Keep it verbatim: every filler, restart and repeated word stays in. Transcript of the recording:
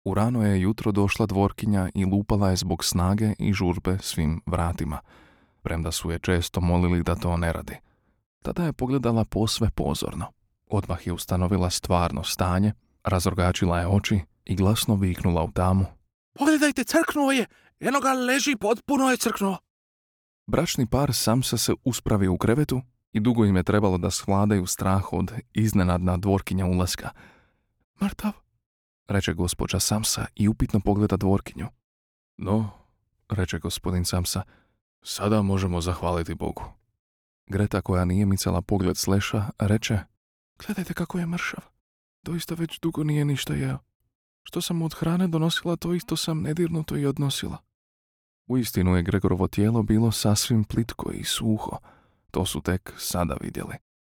U rano je jutro došla dvorkinja i lupala je zbog snage i žurbe svim vratima, premda su je često molili da to ne radi. Tada je pogledala posve pozorno. Odmah je ustanovila stvarno stanje, razorgačila je oči i glasno viknula u tamu. Pogledajte, crknuo je! Eno ga leži, potpuno je crknuo! Bračni par Samsa se uspravi u krevetu i dugo im je trebalo da svladaju strah od iznenadna dvorkinja ulaska. Mrtav, reče gospođa Samsa i upitno pogleda dvorkinju. No, reče gospodin Samsa, sada možemo zahvaliti Bogu. Greta, koja nije micala pogled s leša, reče, gledajte kako je mršav. Doista već dugo nije ništa jeo. Što sam od hrane donosila, to isto sam nedirnuto i odnosila. Uistinu je Gregorovo tijelo bilo sasvim plitko i suho. To su tek sada vidjeli.